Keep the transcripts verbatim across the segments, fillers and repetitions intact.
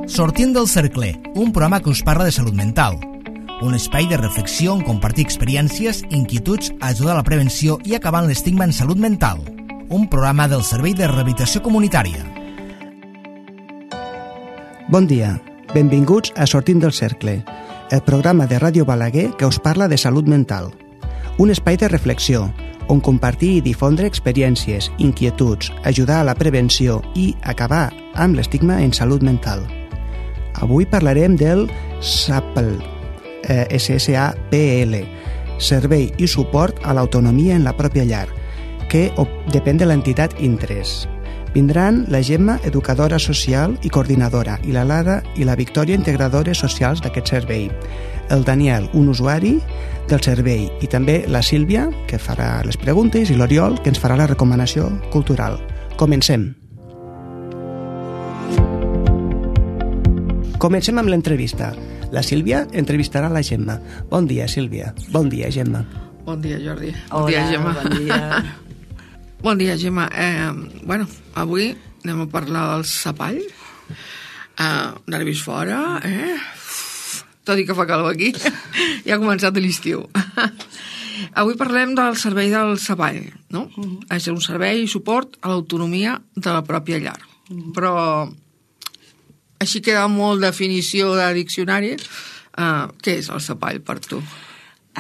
Sortint del cercle, un programa que us parla de salut mental. Un espai de reflexió on compartir experiències, inquietuds, ajudar a la prevenció i acabar amb l'estigma en salut mental. Un programa del Servei de Rehabilitació Comunitària. Bon dia, benvinguts a Sortint del cercle, el programa de Ràdio Balaguer que us parla de salut mental. Un espai de reflexió, on compartir i difondre experiències, inquietuds, ajudar a la prevenció i acabar amb l'estigma en salut mental. Avui parlarem del S A P L, eh, S S A P L, Servei i Suport a l'Autonomia en la Pròpia Llar, que depèn de l'entitat Intres. Vindran la Gemma, educadora social i coordinadora, i la Lara i la Victòria, integradores socials d'aquest servei. El Daniel, un usuari del servei, i també la Sílvia, que farà les preguntes, i l'Oriol, que ens farà la recomanació cultural. Comencem. Comencem amb l'entrevista. La Sílvia entrevistarà la Gemma. Bon dia, Sílvia. Bon dia, Gemma. Bon dia, Jordi. Bon Hola, dia, Gemma. bon dia. Bon dia, Gemma. Eh, bueno, avui anem a parlar del sapall. Eh, nervis fora, eh? Tot i que fa calor aquí. Ja ha començat l'estiu. Avui parlem del servei del sapall, no? Uh-huh. És un servei i suport a l'autonomia de la pròpia llar. Uh-huh. Però així queda molt definició de diccionari. Uh, què és el sapall per tu?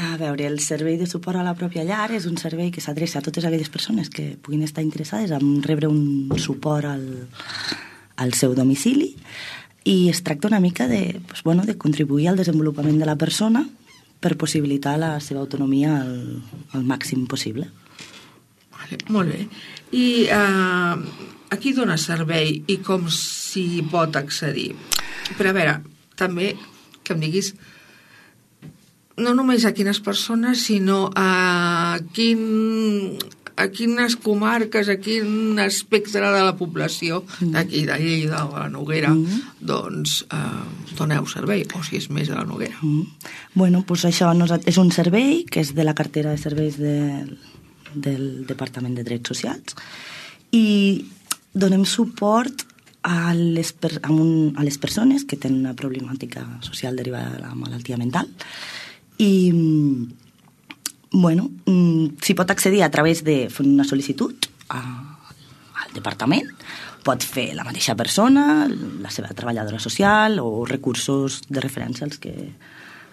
A veure, el servei de suport a la pròpia llar és un servei que s'adreça a totes aquelles persones que puguin estar interessades en rebre un suport al, al seu domicili, i es tracta una mica de, pues, bueno, de contribuir al desenvolupament de la persona per possibilitar la seva autonomia al, al màxim possible. Vale, molt bé. I uh, a qui dona servei i com s'hi pot accedir? Però a veure, també que em diguis no només a quines persones, sinó a quin, a quines comarques, a quin espectre de la població d'aquí, de Lleida o de la Noguera, mm. doncs eh, doneu servei, o si és més de la Noguera. Mm. Bueno, doncs això és un servei que és de la cartera de serveis de, del Departament de Drets Socials, i donem suport a les, a, un, a les persones que tenen una problemàtica social derivada de la malaltia mental. I, bueno, s'hi pot accedir a través de fer una sol·licitud a, al departament. Pot fer la mateixa persona, la seva treballadora social o recursos de referència als que,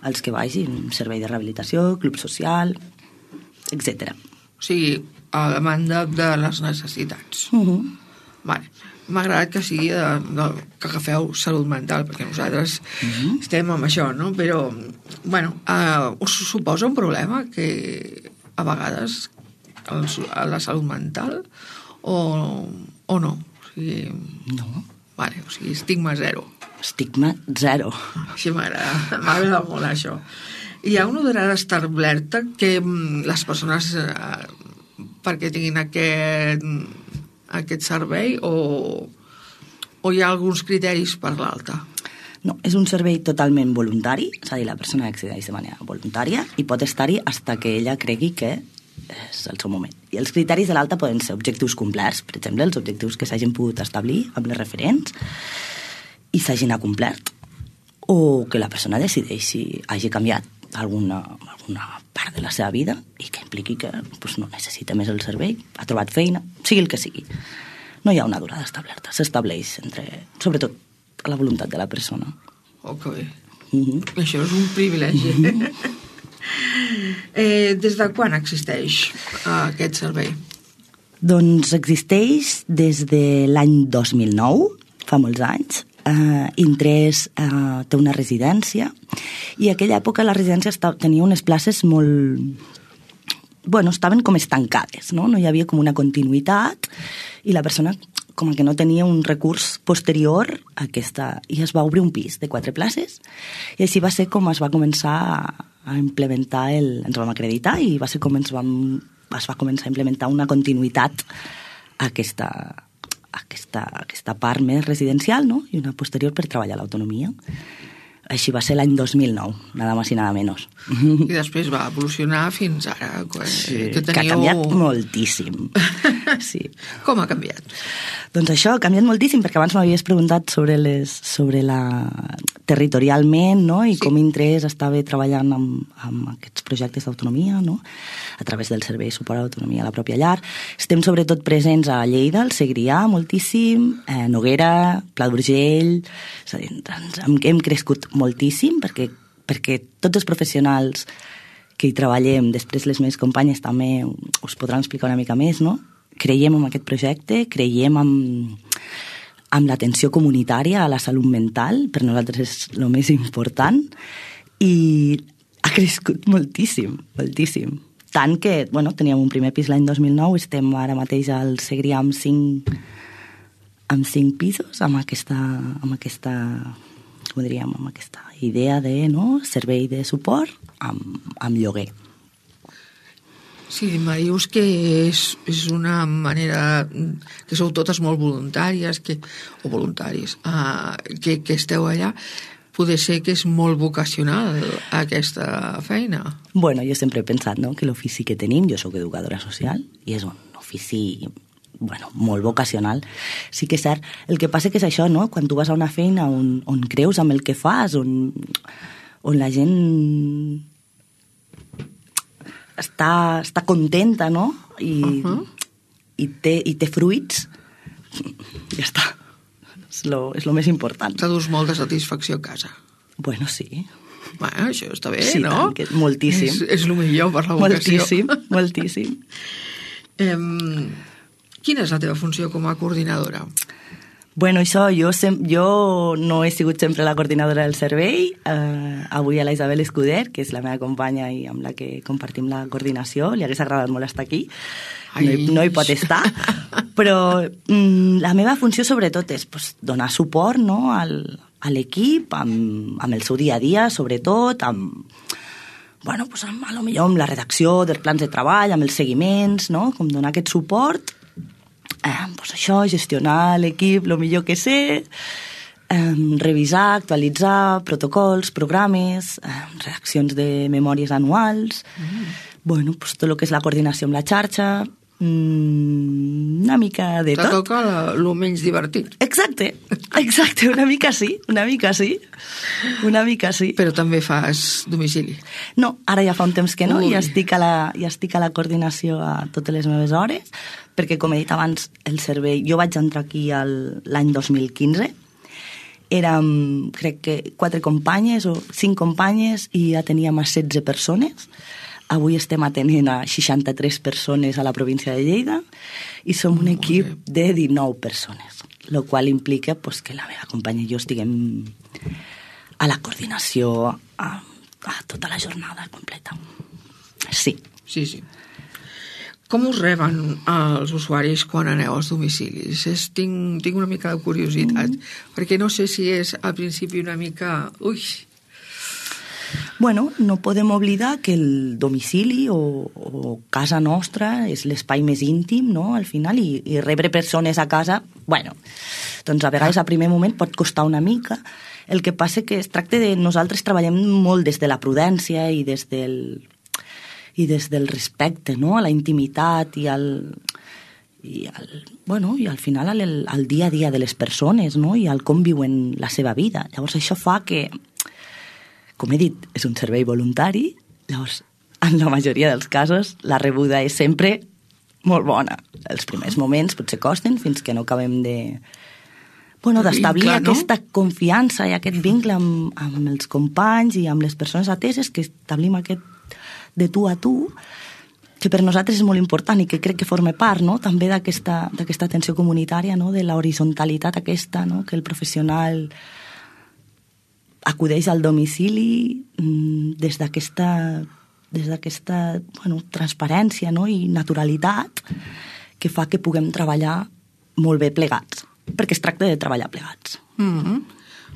als que vagin, servei de rehabilitació, club social, etcètera. O sigui, a demanda de les necessitats. Uh-huh. Vale. M'ha agradat que sigui de, de, que agafeu salut mental, perquè nosaltres uh-huh. estem amb això, no? Però, bueno, uh, us suposa un problema que a vegades el, la salut mental o, o no? O sigui, no. Vale, o sigui, estigma zero. Estigma zero. Així m'agrada, m'agrada molt això. Hi ha una durada establerta que les persones, uh, perquè tinguin aquest... aquest servei, o, o hi ha alguns criteris per l'alta? No, és un servei totalment voluntari, és a dir, la persona accedeix de manera voluntària i pot estar-hi fins que ella cregui que és el seu moment. I els criteris de l'alta poden ser objectius complerts, per exemple, els objectius que s'hagin pogut establir amb les referents i s'hagin acomplert, o que la persona decideixi, hagi canviat alguna, alguna part de la seva vida i que impliqui que pues, no necessita més el servei, ha trobat feina, sigui el que sigui. No hi ha una durada establerta, s'estableix entre, sobretot, la voluntat de la persona. Oh, que bé. Uh-huh. Això és un privilegi. Uh-huh. eh, des de quan existeix uh, aquest servei? Doncs existeix des de l'any dos mil nou, fa molts anys. Uh, Intres uh, té una residència, i a aquella època la residència estava, tenia unes places molt... Bueno, estaven com estancades, no? No hi havia com una continuïtat, i la persona com que no tenia un recurs posterior a aquesta... I es va obrir un pis de quatre places, i així va ser com es va començar a, a implementar el... Ens vam acreditar i va ser com ens vam, es va començar a implementar una continuïtat a aquesta... Aquesta, aquesta part més residencial, no? I una posterior per treballar l'autonomia. Així va ser l'any dos mil nou, nada más i nada menos. I després va evolucionar fins ara. Que, sí, que, teniu... que ha canviat moltíssim. Sí. Com ha canviat? Doncs això, ha canviat moltíssim, perquè abans m'havies preguntat sobre, les, sobre la territorialment, no? I sí. Com Intres estava treballant amb, amb aquests projectes d'autonomia, no? A través del Servei de Suport a l'Autonomia a la pròpia llar. Estem sobretot presents a Lleida, al Segrià, moltíssim, a Noguera, Pla d'Urgell, és a dir, hem, hem crescut moltíssim, perquè, perquè tots els professionals que hi treballem, després les meves companyes també us podran explicar una mica més, no? Creiem en aquest projecte, creiem en, en l'atenció comunitària a la salut mental, per nosaltres és el més important, i ha crescut moltíssim, moltíssim. Tant que, bueno, teníem un primer pis l'any dos mil nou, estem ara mateix al Segrià amb cinc, amb cinc pisos, amb aquesta, amb aquesta, com diríem, amb aquesta idea de, no?, servei de suport amb, amb lloguer. Sí, me dius que és, és una manera que sou totes molt voluntàries que, o voluntaris uh, que, que esteu allà. Poder ser que és molt vocacional aquesta feina. Bueno, jo sempre he pensat, no?, que l'ofici que tenim, jo soc educadora social i és un ofici, bueno, molt vocacional. Sí que és cert. El que passa que és això, no?, quan tu vas a una feina on, on creus amb el que fas, on, on la gent està, està contenta, no?, i, uh-huh. i, té, i té fruits, ja està. És lo, és lo més important. T'ha dus molta satisfacció a casa. Bueno, sí. Bueno, això està bé, sí, no? Tant, que, moltíssim. És, és el millor per la vocació. Moltíssim, moltíssim. um, quina és la teva funció com a coordinadora? Bueno, això, jo, sem- jo no he sigut sempre la coordinadora del servei. Uh, avui a la Isabel Escuder, que és la meva companya i amb la que compartim la coordinació, li hagués agradat molt estar aquí. No hi, no hi pot estar. Però mm, la meva funció sobretot és pues, donar suport, no?, al, a l'equip, amb, amb el seu dia a dia, sobretot, amb, bueno, pues, amb, a lo millor amb la redacció dels plans de treball, amb els seguiments, no?, com donar aquest suport. Eh, pues això, gestionar l'equip el millor que sé, eh, revisar, actualitzar protocols, programes, eh, redaccions de memòries anuals, mm. bueno, pues tot el que és la coordinació amb la xarxa, mm, una mica de Te tot. Te toca el menys divertit. Exacte, exacte, una mica sí, una mica sí, una mica sí. Però també fas domicili? No, ara ja fa un temps que no, Ui. ja estic, a la, ja estic a la coordinació a totes les meves hores, perquè, com he dit abans, el servei... Jo vaig entrar aquí el, l'any dos mil quinze, érem, crec que, quatre companyes o cinc companyes i ja teníem a setze persones. Avui estem atenent a seixanta-tres persones a la província de Lleida i som un equip de dinou persones, el qual implica pues, que la meva companya i jo estiguem a la coordinació a, a tota la jornada completa. Sí. Sí, sí. Com us reben els usuaris quan aneu als domicilis? És, tinc, tinc una mica de curiositat, mm. perquè no sé si és al principi una mica... Ui! Bueno, no podem oblidar que el domicili o, o casa nostra és l'espai més íntim, no?, al final, i, i rebre persones a casa, bueno, doncs a vegades a primer moment pot costar una mica. El que passa que es tracta de... Nosaltres treballem molt des de la prudència i des del... i des del respecte, no?, a la intimitat i al, i al, bueno, i al final al, al dia a dia de les persones, no?, i al com viuen la seva vida. Llavors això fa que, com he dit, és un servei voluntari, llavors en la majoria dels casos la rebuda és sempre molt bona. Els primers moments potser costen fins que no acabem de... Bueno, d'establir vincle, no? Aquesta confiança i aquest vincle amb, amb els companys i amb les persones ateses, que establim aquest de tu a tu, que per nosaltres és molt important i que crec que forma part, no?, també d'aquesta, d'aquesta atenció comunitària, no?, de l'horizontalitat aquesta, no?, que el professional acudeix al domicili des d'aquesta, des d'aquesta bueno, transparència, no?, i naturalitat que fa que puguem treballar molt bé plegats, perquè es tracta de treballar plegats. Mm-hmm.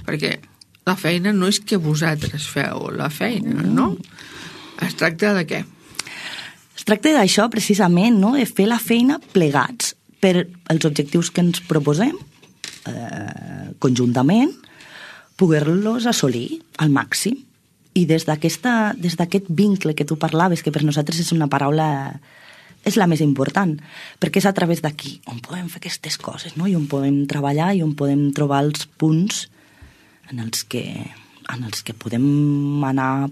Perquè la feina no és que vosaltres feu la feina, mm. no? Es tracta de què? Es tracta d'això, precisament, no?, de fer la feina plegats per els objectius que ens proposem eh, conjuntament, poder-los assolir al màxim. I des d'aquesta, des d'aquest vincle que tu parlaves, que per nosaltres és una paraula, és la més important, perquè és a través d'aquí on podem fer aquestes coses, no? I on podem treballar i on podem trobar els punts en els que, en els que podem anar,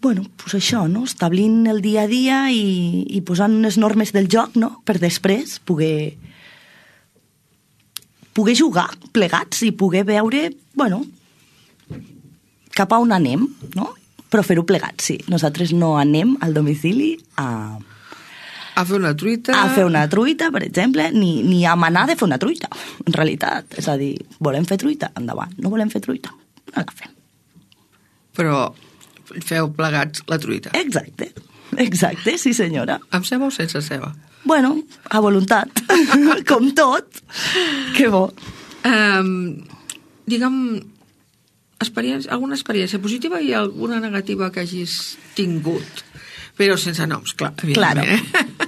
bueno, pues això, no? Establint el dia a dia i, i posant unes normes del joc, no? Per després poder, poder jugar plegats i poder veure, bueno, cap a on anem, no? Però fer-ho plegats, sí. Nosaltres no anem al domicili a... A fer una truita... A fer una truita, per exemple, ni, ni a manar de fer una truita, en realitat. És a dir, volem fer truita? Endavant. No volem fer truita? No la fem. Però feu plegats la truita. Exacte, exacte, sí senyora. Amb ceba o sense ceba? Bueno, a voluntat, com tot. Que bo. Um, digue'm, experiència, alguna experiència positiva i alguna negativa que hagis tingut? Però sense noms, clar, claro. Eh?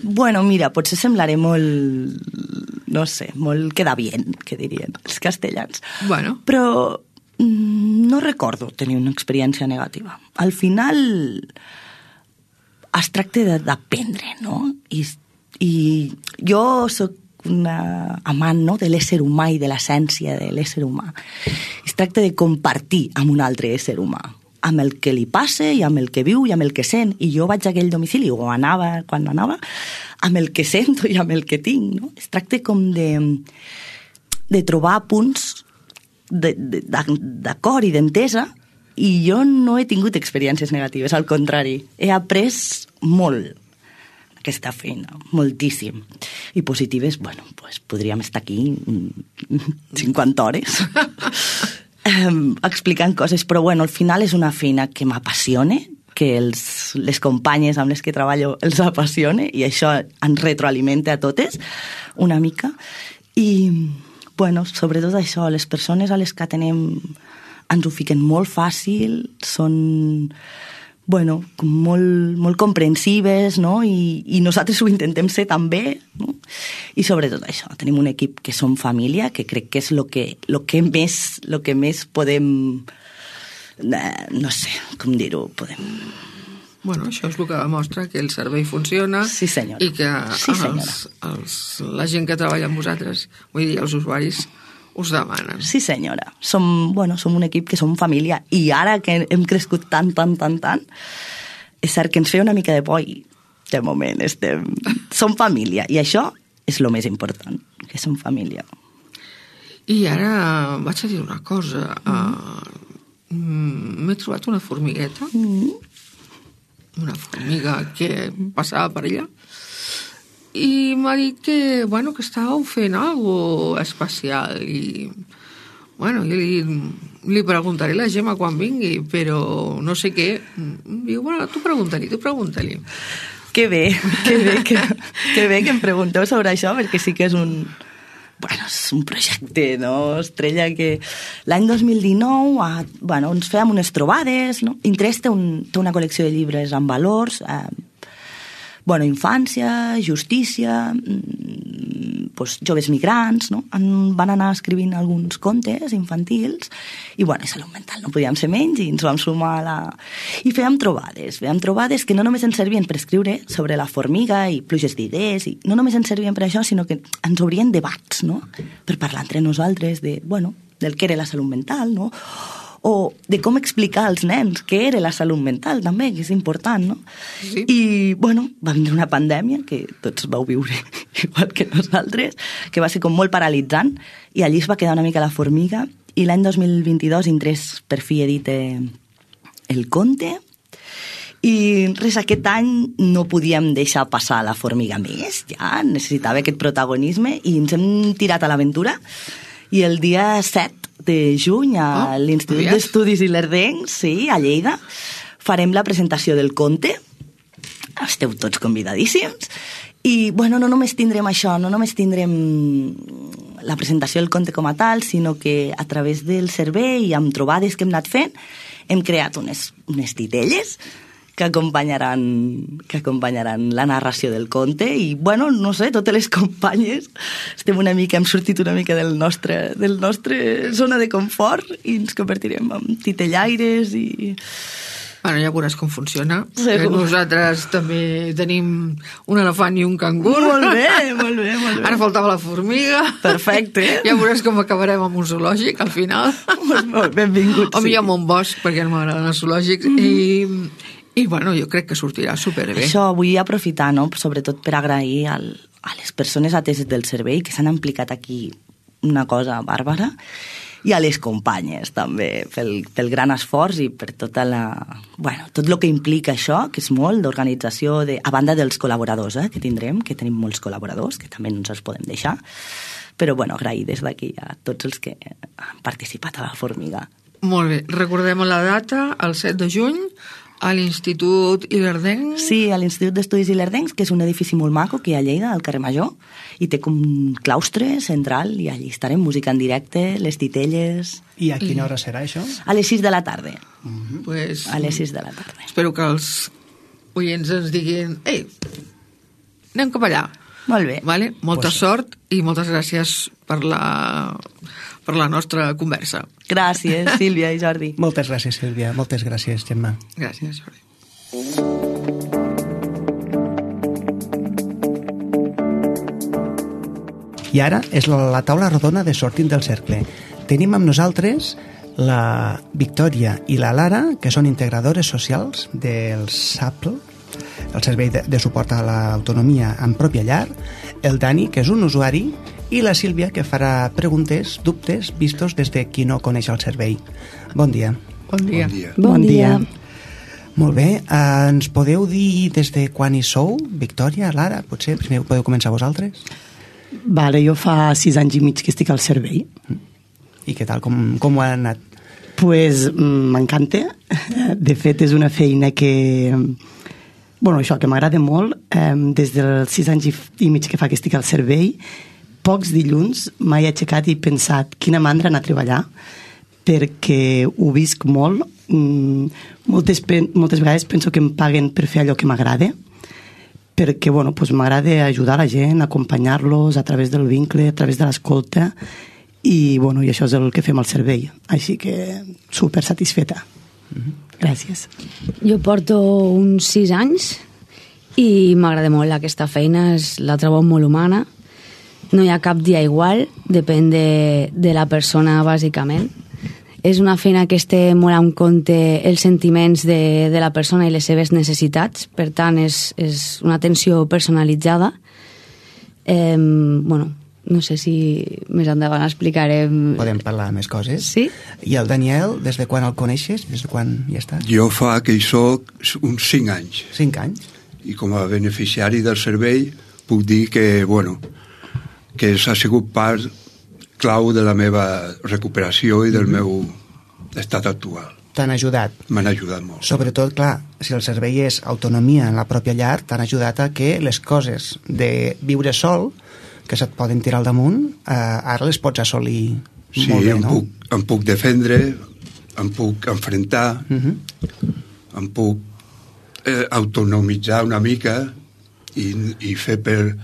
Bueno, mira, potser semblaré molt, no sé, molt queda bien, que dirien els castellans. Bueno. Però no recordo tenir una experiència negativa. Al final es tracta d'aprendre, no? I, i jo sóc una amant, no?, de l'ésser humà i de l'essència de l'ésser humà. Es tracta de compartir amb un altre ésser humà, amb el que li passa i amb el que viu i amb el que sent. I jo vaig a aquell domicili, o anava quan anava, amb el que sento i amb el que tinc, no? Es tracta com de, de trobar punts d'acord i d'entesa, i jo no he tingut experiències negatives, al contrari, he après molt aquesta feina, moltíssim. I positives, bueno, pues podríem estar aquí cinquanta hores eh, explicant coses, però bueno, al final és una feina que m'apassiona, que els, les companyes amb les que treballo els apassiona, i això ens retroalimenta a totes una mica. I bueno, sobretot això, les persones a les que atenem ens ho fiquen molt fàcil, són, bueno, molt, molt comprensives, no? I, i nosaltres ho intentem ser també, no? I sobretot això, tenim un equip que som família, que crec que és el que, lo que, més, lo que més podem, eh, no sé, com dir-ho, podem... Bueno, això és el que demostra que el servei funciona, sí, senyora. I que sí, els, els, la gent que treballa amb vosaltres, vull dir, els usuaris, us demanen. Sí, senyora. Som, bueno, som un equip que som família, i ara que hem crescut tant, tant, tant, tant, és cert que ens feia una mica de por i de moment estem... som família, i això és el més important, que som família. I ara vaig a dir una cosa. Mm. Uh, m'he trobat una formigueta, mm. una formiga que passava per allà, i m'ha dit que, bueno, que estàveu fent alguna especial, i bueno, jo li, li preguntaré a la Gemma quan vingui, però no sé què. Diu, bueno, tu pregunta-li, tu pregunta-li. Que bé, que bé que, que bé que em pregunteu sobre això, perquè sí que és un... Bueno, és un projecte, no? Estrella, que l'any dos mil dinou a, bueno, ens fèiem unes trobades, no? Intrés té, un, té una col·lecció de llibres amb valors, eh, bueno, infància, justícia, pues, joves migrants, no? En, van anar escrivint alguns contes infantils, i bueno, salut mental, no podíem ser menys, i ens vam sumar a la... I fèiem trobades, fèiem trobades que no només ens servien per escriure sobre la formiga i pluges d'idees, i no només ens servien per això, sinó que ens obrien debats, no? Per parlar entre nosaltres de, bueno, del que era la salut mental, no? O de com explicar als nens què era la salut mental, també, que és important, no? Sí. I, bueno, va vindre una pandèmia, que tots vau viure igual que nosaltres, que va ser com molt paralitzant, i allí es va quedar una mica la formiga, i l'any dos mil vint-i-dos Intrés per fi edita el conte, i res, aquest any no podíem deixar passar la formiga més, ja necessitava aquest protagonisme, i ens hem tirat a l'aventura, i el dia set de juny a oh, l'Institut d'Estudis Ilerdencs, sí, a Lleida, farem la presentació del conte. Esteu tots convidadíssims. I, bueno, no només tindrem això, no només tindrem la presentació del conte com a tal, sinó que a través del servei i amb trobades que hem anat fent, hem creat unes, unes titelles que acompanyaran, que acompanyaran la narració del conte i, bueno, no sé, totes les companyes estem una mica, hem sortit una mica del nostre, del nostre zona de confort i ens convertirem en titellaires i... Bueno, ja veuràs com funciona. Segur. Nosaltres també tenim un elefant i un cangur. Molt bé, molt bé, molt bé. Ara faltava la formiga. Perfecte. Ja veuràs com acabarem amb un zoològic, al final. Molt, molt benvinguts. O millor amb un bosc, perquè no m'agraden els zoològics. Mm -hmm. I, I, bueno, jo crec que sortirà superbé. Això vull aprofitar, no?, sobretot per agrair al, a les persones ateses del servei que s'han implicat aquí una cosa bàrbara, i a les companyes també pel, pel gran esforç i per tota la, bueno, tot el que implica això, que és molt d'organització, de, a banda dels col·laboradors eh, que tindrem, que tenim molts col·laboradors que també no ens els podem deixar, però bueno, agrair des d'aquí a tots els que han participat a la Formiga. Molt bé, recordem la data, el set de juny, a l'Institut Ilerdenc. Sí, a l'Institut d'Estudis Ilerdencs, que és un edifici molt maco que hi ha a Lleida, al carrer Major, i té com un claustre central i allí estarem, música en directe, les titelles... I a quina hora serà això? A les sis de la tarda. Mm-hmm. Pues, a les sis de la tarda. Espero que els oients ens diguin ei, anem cap allà. Molt bé. Vale? Molta Pues... sort i moltes gràcies per la, per la nostra conversa. Gràcies, Sílvia i Jordi. Moltes gràcies, Sílvia. Moltes gràcies, Gemma. Gràcies, Jordi. I ara és la, la taula rodona de Sortint del Cercle. Tenim amb nosaltres la Victòria i la Lara, que són integradores socials del S A P L, el Servei de, de Suport a l'Autonomia en Pròpia Llar, el Dani, que és un usuari, i la Sílvia, que farà preguntes, dubtes, vistos des de qui no coneix el servei. Bon dia. Bon dia. Bon dia. Bon dia. Molt bé, eh, ens podeu dir des de quan hi sou, Victòria, Lara? Potser primer podeu començar vosaltres? Vale, jo fa sis anys i mig que estic al servei. I què tal, com, com ho ha anat? Pues m'encanta. De fet, és una feina que... Bueno, això, que m'agrada molt. Eh, des dels sis anys i, i mig que fa que estic al servei, pocs dilluns m'he aixecat i pensat quina mandra anar a treballar, perquè ho visc molt. Mm, moltes, moltes vegades penso que em paguen per fer allò que m'agrada, perquè bueno, pues m'agrada ajudar la gent, acompanyar-los a través del vincle, a través de l'escolta, i, bueno, i això és el que fem al servei. Així que super satisfeta. Gràcies. Jo porto uns sis anys i m'agrada molt aquesta feina, és, la trobo molt humana. No hi ha cap dia igual, depèn de, de la persona, bàsicament. És una feina que es té molt en compte els sentiments de, de la persona i les seves necessitats, per tant, és, és una atenció personalitzada. Eh, bueno, no sé si més endavant explicarem... Podem parlar més coses? Sí. I el Daniel, des de quan el coneixes? Des de quan hi està? Jo fa que hi soc uns cinc anys. Cinc anys? I com a beneficiari del servei puc dir que, bueno, que s'ha sigut part clau de la meva recuperació i del meu estat actual. T'han ajudat? M'han ajudat molt. Sobretot, clar, si el servei és autonomia en la pròpia llar, t'han ajudat a que les coses de viure sol, que se't poden tirar al damunt, eh, ara les pots assolir sí, molt bé, em no? Puc, em puc defendre, em puc enfrontar, Uh -huh. em puc eh, autonomitzar una mica i, i fer per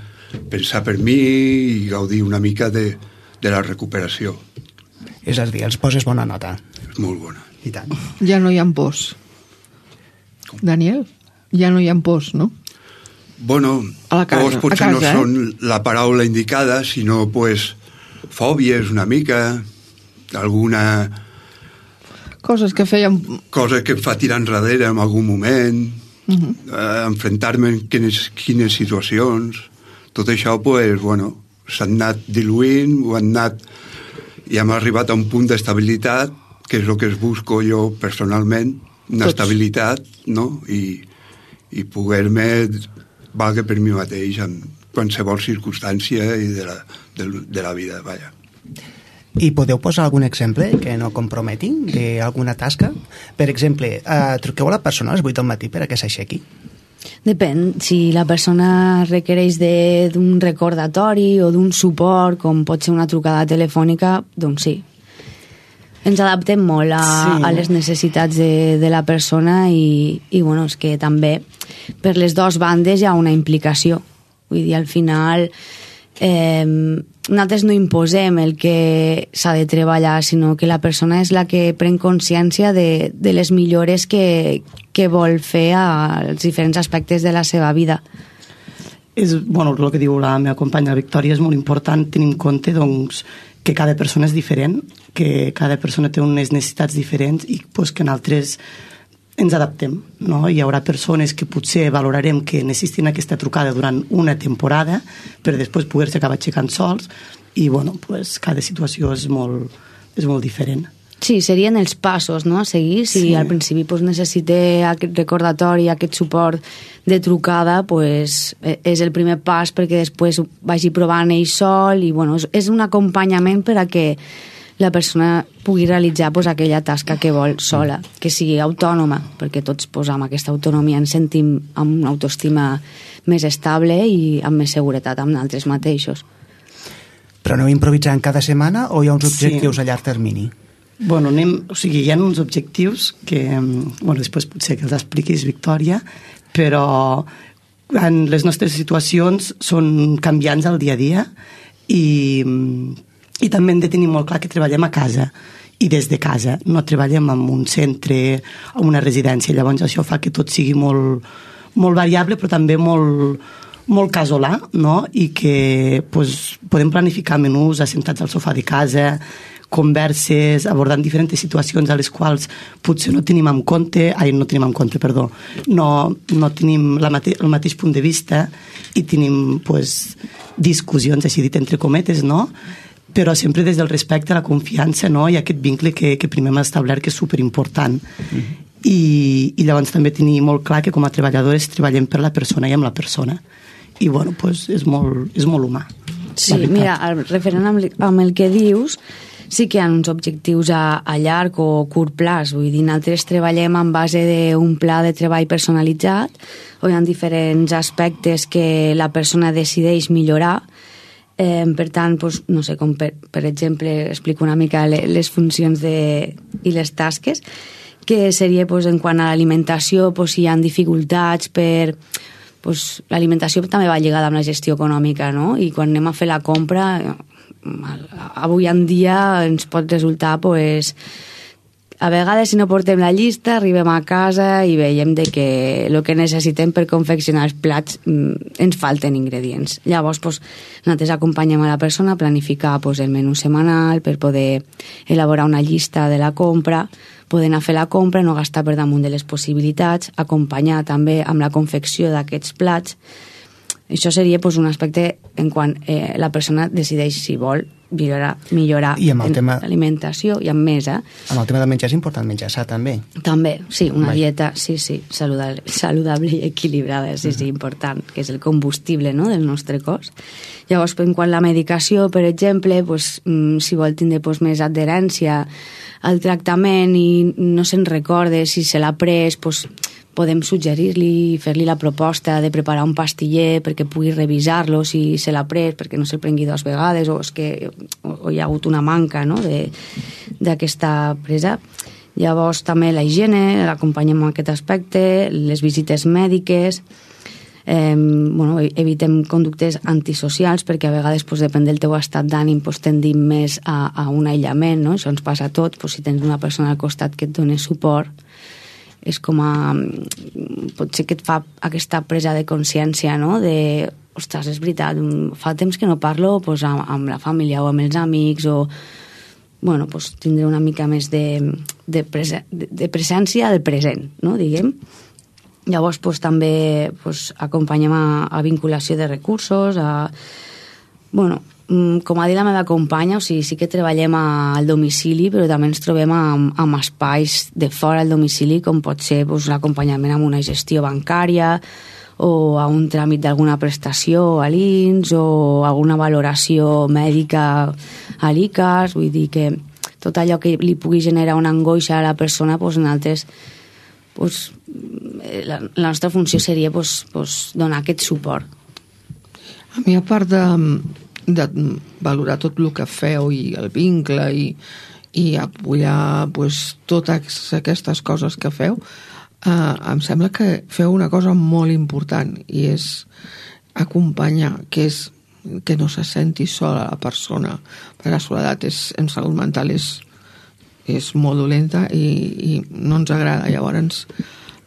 pensar per mi i gaudir una mica de, de la recuperació. És a dir, els poses bona nota. És molt bona. I tant. Ja no hi ha pors. Daniel, ja no hi ha pors, no? Bueno, A la casa, pors potser a casa, no eh? són la paraula indicada, sinó pues, fòbies una mica, alguna Coses que feien... cosa que em fa tirar enrere en algun moment, Uh -huh. eh, enfrontar-me en quines, quines situacions. Tot això, pues, bueno, s'han anat diluint, ho han anat... i hem arribat a un punt d'estabilitat, que és el que es busco jo personalment, una Tots. estabilitat, no? I, i poder-me valga per mi mateix en qualsevol circumstància i de la, de, de la vida, vaja. I podeu posar algun exemple que no comprometi d'alguna tasca? Per exemple, eh, truqueu a la persona a les vuit del matí per a que s'aixequi? Depèn, si la persona requereix de- d'un recordatori o d'un suport, com pot ser una trucada telefònica, doncs sí. ens adaptem molt a, sí. a les necessitats de, de la persona i, i bueno, és que també per les dues bandes hi ha una implicació. Vull dir, al final eh, nosaltres no imposem el que s'ha de treballar, sinó que la persona és la que pren consciència de, de les millores que, que vol fer als diferents aspectes de la seva vida. És, bueno, el que diu la meva companya la Victòria és molt important tenir en compte doncs, que cada persona és diferent, que cada persona té unes necessitats diferents i pues, que nosaltres ens adaptem, no? Hi haurà persones que potser valorarem que necessitin aquesta trucada durant una temporada per després poder-se acabar aixecant sols i bueno, pues, cada situació és molt, és molt diferent. Sí, serien els passos, no?, a seguir. Si sí. al principi pues, necessite aquest recordatori, aquest suport de trucada, pues, és el primer pas perquè després vagi provant ell sol i bueno, és, és un acompanyament per a que la persona pugui realitzar pues, aquella tasca que vol sola, que sigui autònoma, perquè tots pues, amb aquesta autonomia ens sentim amb una autoestima més estable i amb més seguretat amb nosaltres mateixos. Però aneu improvisant cada setmana o hi ha uns objectius sí. a llarg termini? Bueno, anem, o sigui, hi ha uns objectius que, bueno, després potser que els expliquis, Victòria, però en les nostres situacions són canviants al dia a dia i, i també hem de tenir molt clar que treballem a casa i des de casa, no treballem en un centre o una residència, llavors això fa que tot sigui molt, molt variable però també molt, molt casolà, no? I que pues, podem planificar menús assentats al sofà de casa, converses, abordant diferents situacions a les quals potser no tenim en compte, ai, no tenim en compte, perdó, no, no tenim la mate, el mateix punt de vista i tenim pues, discussions, així dit entre cometes, no? Però sempre des del respecte, la confiança, no? I aquest vincle que, que primer hem establert que és superimportant. Mm-hmm. I, i llavors també tenir molt clar que com a treballadores treballem per la persona i amb la persona. I bueno, pues, és, molt, és molt humà. Sí, mira, referent amb, amb el que dius, sí que hi ha uns objectius a, a llarg o curt plaç, vull dir, nosaltres treballem en base d'un pla de treball personalitzat, on hi ha diferents aspectes que la persona decideix millorar, eh, per tant, doncs, no sé, com per, per exemple, explico una mica les funcions de, i les tasques, que seria doncs, en quant a l'alimentació, doncs, si hi ha dificultats per... Doncs, l'alimentació també va lligada amb la gestió econòmica, no? I quan anem a fer la compra... avui en dia ens pot resultar pues, a vegades si no portem la llista arribem a casa i veiem de que el que necessitem per confeccionar els plats ens falten ingredients. Llavors pues, nosaltres acompanyem a la persona a planificar pues, el menú setmanal per poder elaborar una llista de la compra, poder anar a fer la compra, no gastar per damunt de les possibilitats, acompanyar també amb la confecció d'aquests plats. Això seria pues, un aspecte en quan eh, la persona decideix si vol millorar, millorar en tema... l'alimentació i amb més, eh? Amb el tema del menjar és important menjar sa, també. També, sí, una Vai. dieta, sí, sí, saludable, saludable i equilibrada, sí, sí, important, que és el combustible no, del nostre cos. Llavors, en quant a la medicació, per exemple, pues, si vol tindre pues, més adherència al tractament i no se'n recorde si se l'ha pres, pues, podem suggerir-li, fer-li la proposta de preparar un pastiller perquè pugui revisar-lo si se l'ha pres, perquè no se'l prengui dues vegades o, és que, o hi ha hagut una manca no, d'aquesta presa. Llavors també la higiene, l'acompanyem en aquest aspecte, les visites mèdiques, eh, bueno, evitem conductes antisocials perquè a vegades, pues, depèn del teu estat d'ànim, pues, tendim més a, a un aïllament, no? Això ens passa a tots, pues, si tens una persona al costat que et doni suport, és com a... potser que et fa aquesta presa de consciència, no?, de, ostres, és veritat, fa temps que no parlo pues, amb, amb la família o amb els amics o, bueno, pues, tindré una mica més de, de, prese, de, de presència del present, no?, diguem. Llavors, pues, també pues, acompanyem a, a vinculació de recursos, a... bueno, com ha dit la meva companya, o sigui, sí que treballem al domicili, però també ens trobem amb, amb espais de fora del domicili, com pot ser doncs, l'acompanyament amb una gestió bancària o a un tràmit d'alguna prestació a l'I N S o alguna valoració mèdica a l'I C A S, vull dir que tot allò que li pugui generar una angoixa a la persona, doncs, nosaltres, doncs, la, la nostra funció seria doncs, doncs, donar aquest suport. A mi, a part de... de valorar tot el que feu i el vincle i, i apoyar pues, totes aquestes coses que feu, eh, em sembla que feu una cosa molt important, i és acompanyar, que és que no se senti sola la persona, perquè la soledat és, en salut mental és, és molt dolenta i, i no ens agrada. Llavors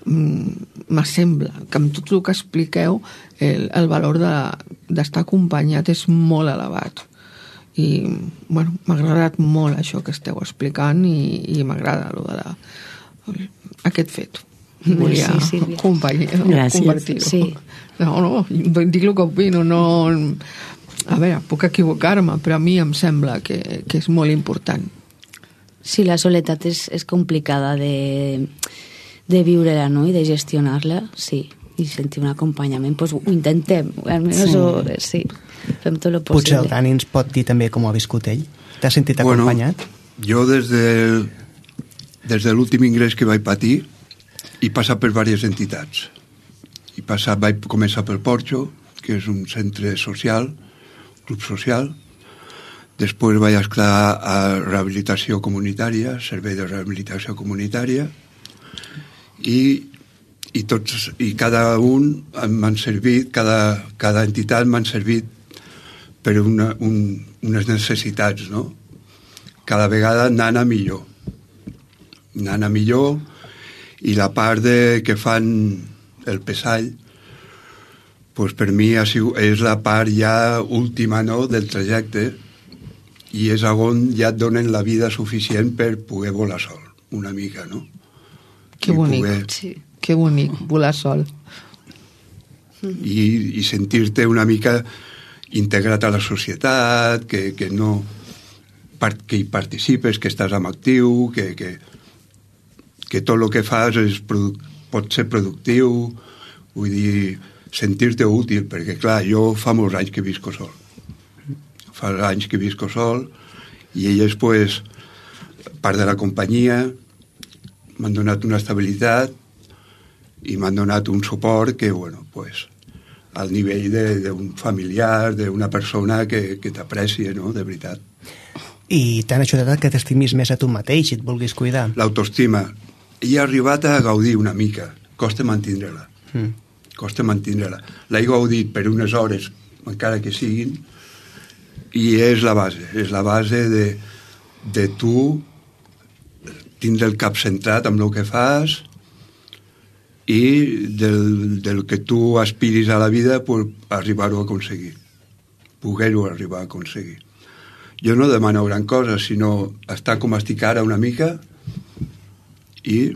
m'assembla que amb tot el que expliqueu el, el valor d'estar acompanyat és molt elevat. I bueno, m'ha agradat molt això que esteu explicant, i, i m'agrada lo de la, aquest fet. Volia sí, sí, compartir-ho. Sí. No, no, dic el que opino, no... A veure, puc equivocar-me, però a mi em sembla que, que és molt important. Sí, la soledat és, és complicada de, de viure-la, no?, i de gestionar-la, sí, i sentir un acompanyament, doncs ho intentem, almenys sí. Ho, sí, fem tot el possible. Potser el Dani ens pot dir també com ho ha viscut ell. T'has sentit acompanyat? Bueno, jo des de, des de l'últim ingrés que vaig patir he passat per diverses entitats. He passat, vaig començar pel Porxo, que és un centre social, club social. Després vaig estar a rehabilitació comunitària, servei de rehabilitació comunitària, i i tots, i cada un m'han servit, cada, cada entitat m'han servit per una, un, unes necessitats, no? Cada vegada anant a millor. Anant a millor, i la part de, que fan el pesall, pues per mi ha sigut, és la part ja última, no?, del trajecte, i és on ja et donen la vida suficient per poder volar sol, una mica, no? Que bonic, poder... sí. Que bonic, volar sol. I, i sentir-te una mica integrat a la societat, que, que no que hi participes, que estàs en actiu, que, que, que tot el que fas és, pot ser productiu, vull dir, sentir-te útil, perquè clar, jo fa molts anys que visco sol. Fa anys que visco sol, i elles, pues, part de la companyia, m'han donat una estabilitat, i m'han donat un suport que, bueno, pues, al nivell d'un familiar, d'una persona que, que t'aprecia, no?, de veritat. I t'han ajudat que t'estimis més a tu mateix i et vulguis cuidar? L'autoestima. He arribat a gaudir una mica. Costa mantindre-la. Mm. Costa mantindre-la. L'he gaudit per unes hores, encara que siguin, i és la base. És la base de, de tu tindre el cap centrat amb el que fas, i del, del que tu aspiris a la vida, pues, arribar-ho a aconseguir, poder-ho arribar a aconseguir. Jo no demano gran cosa, sinó estar com estic ara una mica i,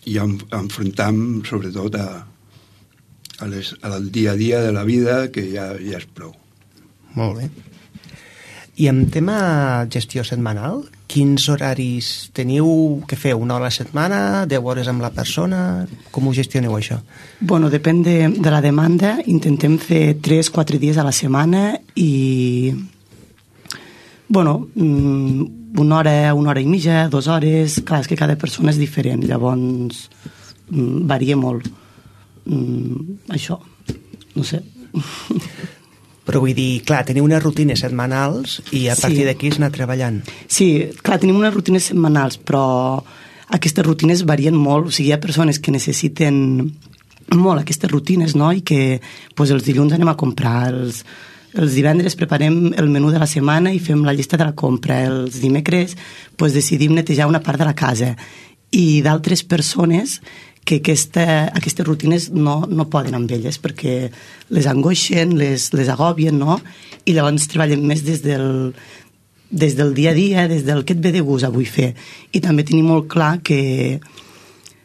i enfrontar-me sobretot a, a les, al dia a dia de la vida, que ja, ja és prou. Molt bé. I en tema gestió setmanal, quins horaris teniu? Què feu? Una hora a la setmana? Deu hores amb la persona? Com ho gestioneu, això? Bueno, depèn de, de la demanda. Intentem fer tres, quatre dies a la setmana i... Bueno, una hora, una hora i mitja, dues hores... Clar, és que cada persona és diferent, llavors varia molt. Això, no sé... Però vull dir, clar, teniu unes rutines setmanals i a partir sí. d'aquí es anar treballant. Sí, clar, tenim unes rutines setmanals, però aquestes rutines varien molt. O sigui, hi ha persones que necessiten molt aquestes rutines, no?, i que pues, els dilluns anem a comprar, els, els divendres preparem el menú de la setmana i fem la llista de la compra, els dimecres pues, decidim netejar una part de la casa, i d'altres persones que aquesta, aquestes rutines no, no poden amb elles perquè les angoixen, les, les agobien, no? I llavors treballem més des del, des del dia a dia, des del que et ve de gust avui fer. I també tenim molt clar que,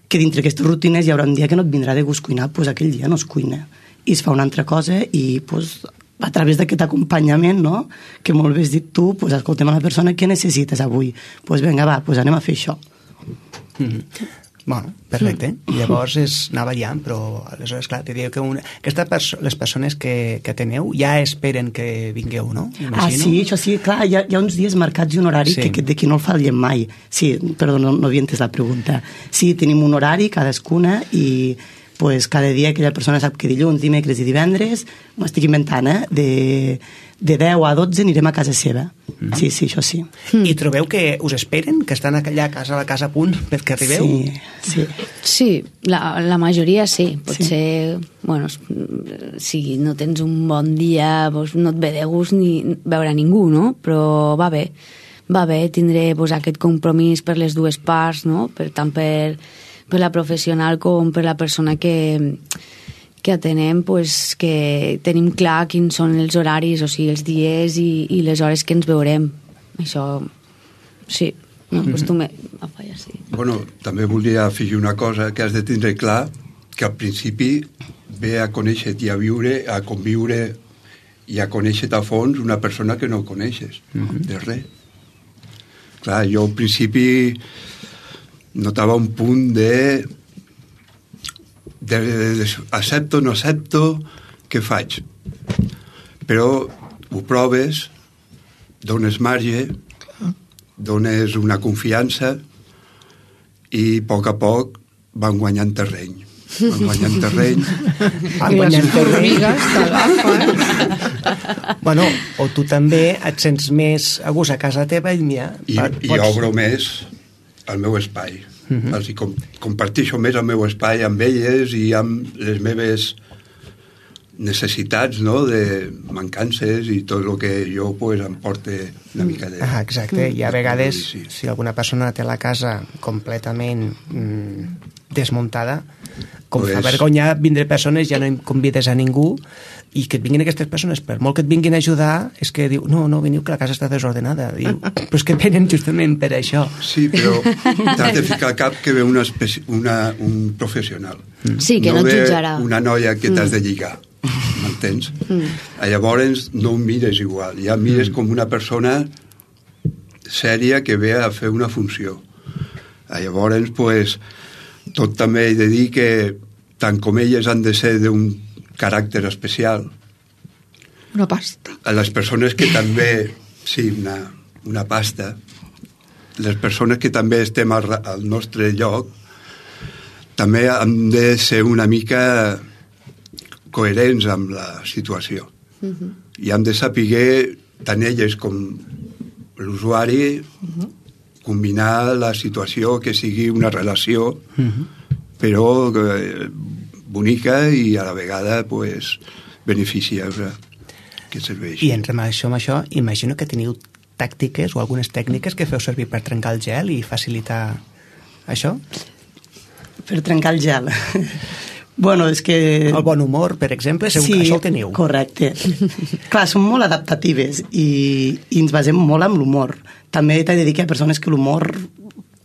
que dintre aquestes rutines hi haurà un dia que no et vindrà de gust cuinar, doncs aquell dia no es cuina. I es fa una altra cosa i doncs, a través d'aquest acompanyament, no?, que molt bé has dit tu, doncs escoltem a la persona què necessites avui. Doncs vinga, va, doncs anem a fer això. Mm-hmm. Bueno, perfecte. I llavors és anar variant, però aleshores, clar, te diu que una, aquesta perso les persones que, que teneu ja esperen que vingueu, no? Imagino. Ah, sí, això sí, clar, hi ha, hi ha uns dies marcats i un horari sí. que, que d'aquí no el fallem mai. Sí, perdó, no, no havia entès la pregunta. Sí, tenim un horari cadascuna i pues, cada dia aquella persona sap que dilluns, dimecres i divendres, m'ho estic inventant, eh? De, de deu a dotze anirem a casa seva. Mm-hmm. Sí, sí, això sí. Mm. I trobeu que us esperen, que estan allà a casa, a la casa a punt perquè arribeu? Sí, sí. Sí, la, la majoria sí. Sí. Potser, bueno, si no tens un bon dia, doncs no et ve de gust ni veure ningú, no? Però va bé. Va bé tindré pues, aquest compromís per les dues parts, no? Per tant per, per la professional com per la persona que, que atenem, pues, que tenim clar quins són els horaris, o sigui, els dies i, i les hores que ens veurem. Això, sí, m'acostume a fallar, sí. Bueno, també volia afegir una cosa, que has de tindre clar que al principi ve a conèixer-te i a viure, a conviure i a conèixer-te a fons una persona que no coneixes, mm-hmm. de res. Clar, jo al principi notava un punt de, de, de, de accepto, no accepto, què faig? Però ho proves, dones marge, dones una confiança i a poc a poc van guanyant terreny. Van guanyant terreny. Van guanyant terreny. Bueno, o tu també et sents més a gust a casa teva i mira... I, pots... i obro més el meu espai. Uh-huh. Els com, comparteixo més el meu espai amb elles i amb les meves necessitats, no?, de mancances i tot el que jo pues, em porte una mica de... Ah, exacte, i a vegades sí. si alguna persona té la casa completament mm, desmuntada, com pues... fa vergonya vindre persones, ja no em convides a ningú, i que et vinguin aquestes persones, per molt que et vinguin a ajudar, és que diu, no, no, veniu que la casa està desordenada. Diu, però és que venen justament per això. Sí, però t'has de ficar al cap que ve una especi... una, un professional. Sí, que no, no et jutjarà. una noia que t'has de lligar, m'entens? Mm. Llavors no ho mires igual, ja mires mm. com una persona sèria que ve a fer una funció. Llavors, pues, tot també he de dir que tant com elles han de ser d'un caràcter especial. Una pasta. A les persones que també... Sí, una, una pasta. Les persones que també estem al, al nostre lloc també hem de ser una mica coherents amb la situació. Uh-huh. I hem de saber, tant elles com l'usuari, uh-huh. combinar la situació, que sigui una relació, uh-huh. però eh, bonica i a la vegada pues, beneficiosa que serveix. I en relació amb això, imagino que teniu tàctiques o algunes tècniques que feu servir per trencar el gel i facilitar això? Per trencar el gel. Bueno, és que... El bon humor, per exemple, segur sí, que això el teniu. Correcte. Clar, som molt adaptatives i, i ens basem molt en l'humor. També t'he de dir que hi ha persones que l'humor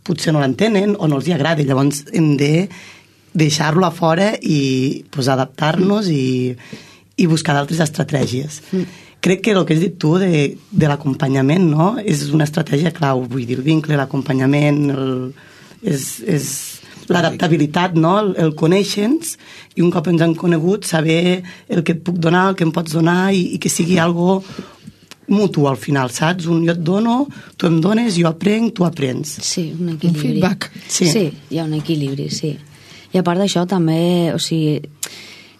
potser no l'entenen o no els hi agrada, llavors hem de deixar-lo a fora i pues, adaptar-nos i, i buscar d'altres estratègies. Mm. Crec que el que has dit tu de, de l'acompanyament, no?, és una estratègia clau, vull dir, el vincle, l'acompanyament, el, és, és l'adaptabilitat, no?, el, el conèixer-nos i un cop ens han conegut saber el que et puc donar, el que em pots donar i, i que sigui algo mutu al final, saps? Un jo et dono, tu em dones, jo aprenc, tu aprens. Sí, un equilibri. Un feedback. Sí, sí, hi ha un equilibri, sí. I a part d'això també, o sigui,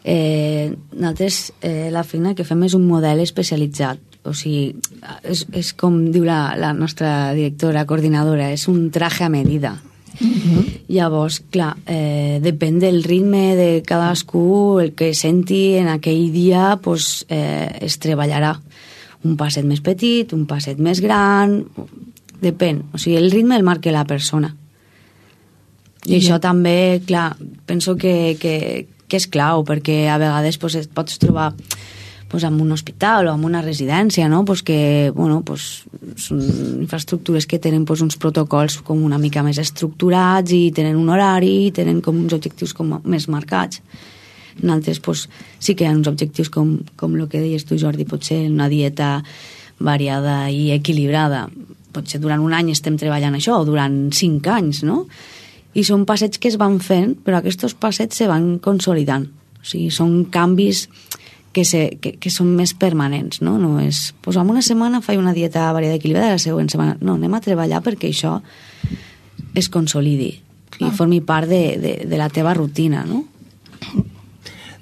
eh, nosaltres eh, la feina que fem és un model especialitzat, o sigui, és, és com diu la, la nostra directora coordinadora, és un traje a medida. Uh-huh. Llavors, clar, eh, depèn del ritme de cadascú, el que senti en aquell dia, pues, eh, es treballarà un passet més petit, un passet més gran, depèn, o sigui, el ritme el marca la persona. I yeah. això també, clar, penso que, que, que és clau, perquè a vegades pues, et pots trobar pues, en un hospital o en una residència, no? Pues que, bueno, pues, són infraestructures que tenen pues, uns protocols com una mica més estructurats i tenen un horari i tenen com uns objectius com més marcats. En altres pues, sí que hi ha uns objectius com, com el que deies tu, Jordi, potser una dieta variada i equilibrada. Potser durant un any estem treballant això, o durant cinc anys, no? I són passets que es van fent, però aquests passets se van consolidant. O sigui, són canvis que, se, que, que són més permanents, no? No és, doncs en una setmana faig una dieta variada equilibrada, la següent setmana... No, anem a treballar perquè això es consolidi. Clar. I formi part de, de, de la teva rutina, no?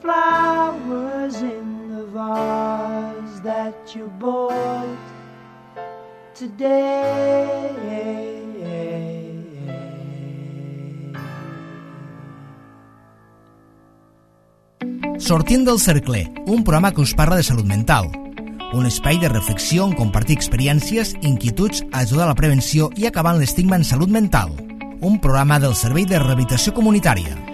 flowers in the vase that you bought today. Sortint del cercle, un programa que us parla de salut mental. Un espai de reflexió on compartir experiències, inquietuds, ajudar a la prevenció i acabar amb l'estigma en salut mental. Un programa del Servei de Rehabilitació Comunitària.